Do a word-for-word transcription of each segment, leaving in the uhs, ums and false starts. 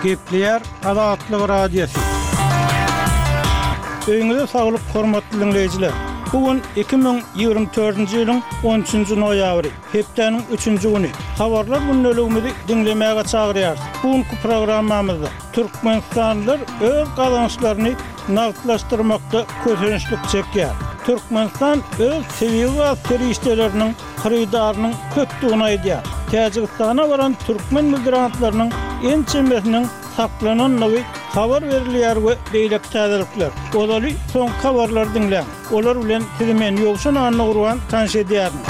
Gepleýär Azatlyk Radiosy. Öýüňize saglyk, hormatly diňleýjiler. Bu gün iki müň ýigrimi dördünji ýylyň on üçünji noýabry, hepdäniň üçünji güni. Habarlar gündeligimizi diňlemäge çagyrýarys. Bu günki programmamyzda türkmenistanlylar öz gazançlaryny nagtlaşdyrmakda kösençlik çekýär. Türkmenistan öz tebigy gaz serişdeleriniň hyrydarynyň köpdügini aýdýar. Täjigistana baran türkmen migrantlarynyň ençemesiniň saklanandygy habar berilýär we beýleki täzelikler. Ozaly soňky habarlary diňläň. Olar bilen sizi men Ýowşan Annagurban tanyş edýärin.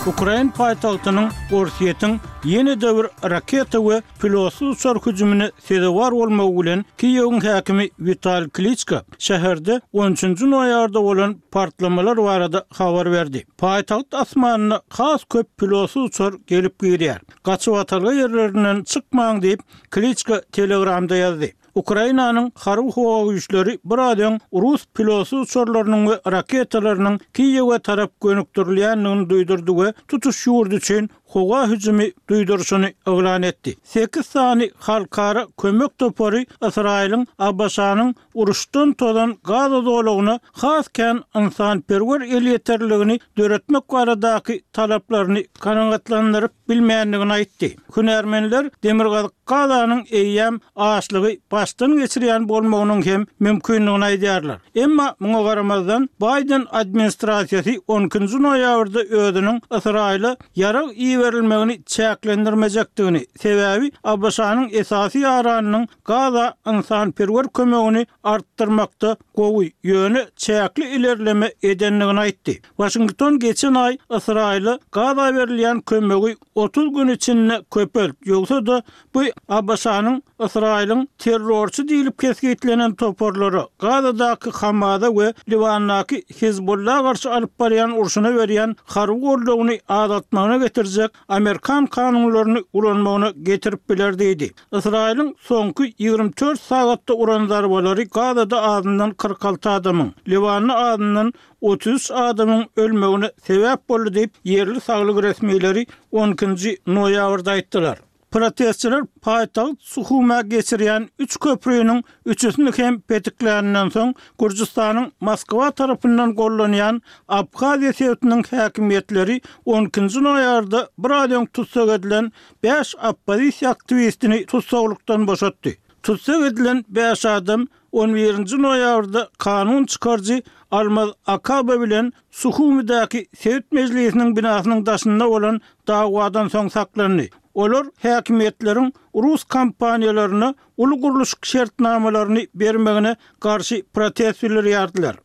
Ukrain paýtagtynyň Orsýetiň ýene-de bir raketa we pilotsyz uçar hüjümine sezewar bolmagy bilen Kiýewiň häkimi Witaliý Kliçko şäherde on üçünji noýabrda bolan partlamalar barada habar berdi. Paýtagt asmanyna has köp pilotsyz uçar gelip girýär. Gaçybatalga ýerlerinden çykmaň diýip, Kliçko Telegramda ýazdy. Ukrainanyň harby howa güýçleri bir az öň rus pilotsyz uçarlarynyň we raketalarynyň Kiýewe tarap gönükdirilýändigini duýdurdy we tutuş ýurt üçin howa hüjümi duýduryşyny yglan etdi. Sekiz sany halkara kömek topary Ysraýylyň A B Ş-nyň uruşdan tozan Gaza zolagyna has kän ynsanperwer elýeterligini döretmek baradaky talaplaryny kanagatlandyryp bilmändigini aýtdy. Hünärmenler Demirgazyk Gazanyň eýýäm açlygy başdan geçirýän bolmagynyň hem mümkindigini aýdýarlar. Emma muňa garamazdan Bayden administrasiýasy on ikinji noýabrda özüniň Ysraýyla ýarag iberilmegini çäklendirmejekdigini, sebäbi A B Ş-nyň esasy ýaranynyň Gaza ynsanperwer kömegini artdyrmakda gowy, ýöne çäkli ilerleme edendigini aýtdy. Washington geçen aý Ysraýyla Gaza berilýän kömegi otuz gün içinde köpelt, ýogsa-da bu A B Ş-nyň Ysraýylyň terrorçy diýlip kesgitlenen toparlara, Gazadaky Hamasa we Liwandaky Hezbollah garşy alyp barýan urşuna berýän harby goldawyny azaltmagyna getirjek Amerikan kanunlaryny ulanmagyna getirip biler diýdi. Ysraýylyň soňky ýigrimi dört sagatda uran zarbalary Gazada azyndan kyrk alty adamyň, Liwanda azyndan otuz üç adamyň ölmegine sebäp boldy diýip, ýerli saglyk resmileri on ikinji noýabrda aýtdylar. Protestçiler paýtagt Suhuma geçirýän üç köprüniň üçüsini hem petikläninden soň Gürjüstanyň Moskwa tarapyndan gollanýan Abhaziýa sebitiniň häkimiýetleri on ikinji noýabrda bir aý öň tussag edilen bäş oppozisiýa aktiwistini tussaglykdan boşatdy. Tussag edilen bäş adam on birinji noýabrda kanun çykaryjy Almaz Akaba bilen Suhumidäki sebit mejlisiniň binasynyň daşynda bolan dawadan soň saklandy. Olar häkimiýetleriň rus kompaniýalaryna uly gurluşyk şertnamalaryny bermegine garşy protest bildirýärdiler.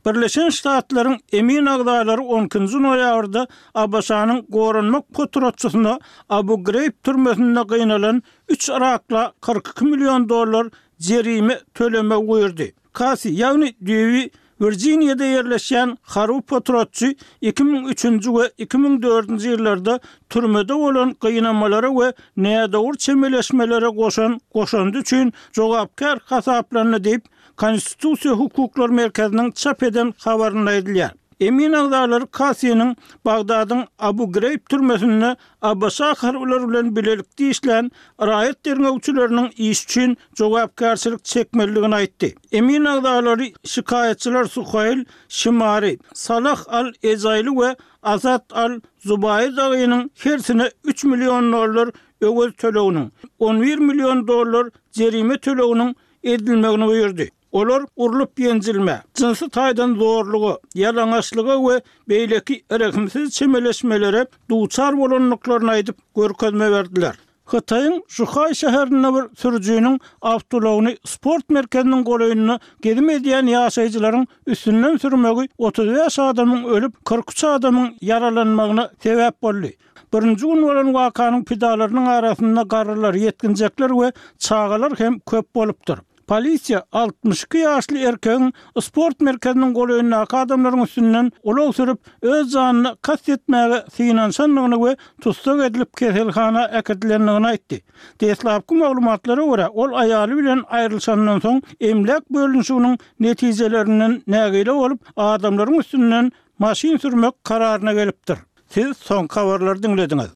Birleşen Ştatlaryň emin agzalary on ikinji noýabrda A B Ş-nyň goranmak potratçysyna Abu Ghraib türmesinde gynalan üç Irakla kyrk iki million dollar jerime tölemegi buýurdy. Kasi, ýagny düýbi Wirjiniýada ýerleşýän harby potratçy iki müň üçünji we iki müň dördünji ýyllarda türmede bolan gynamalara we nädogry çemeleşmelere goşan goşandy üçin jogapkär hasaplandy diýip, Konstitusiýa hukuklar merkeziniň çap eden habarynda aýdylýar. Emin agzalary Kasiniň Bagdadyň Abu Ghraib türmesinde A B Ş harbylary bilen bilelikde işlän raýat derňewçileriniň iş üçin jogapkärçilik çekmelidigini aýtdy. Emin agzalary şikaýatçylar Suhail Şimari, Salah Al-Ezaýly we Azat Al-Zubaýy dagynyň hersine üç million dollar öwez töleginiň, on bir million dollar jerime töleginiň edilmegini buýurdy. Olar urlup ýenjilme, jynsy taýdan zorluga, ýalaňaçlyga we beýleki rehimsiz çemeleşmelere duçar bolandyklaryny aýdyp görkezme berdiler. Hytaýyň Şuhaý şäherinde bir sürüjiniň awtoulagyny sport merkeziniň golaýynda gezim edýän ýaşaýjylaryň üstünden sürmegi otuz bäş adamyň ölüp, kyrk üç adamyň ýaralanmagyna sebäp boldy. Birinji gün bolan wakanyň pidalarynyň arasynda garrylar, ýetginjekler we çagalar hem köp bolupdyr. Polisiýa altmyş iki ýaşly erkegiň sport merkeziniň golaýyndaky adamlaryň üstünden ulag sürüp, öz janyna kast etmäge synanyşandygyny we tussag edilip keselhana äkidilendigini aýtdy. Deslapky maglumatlara görä, ol aýaly bilen aýrylyşandan soň emläk bölünişiginiň netijelerinden nägile bolup, adamlaryň üstünden maşyn sürmek kararyna gelipdir. Siz soňky habarlary diňlediňiz.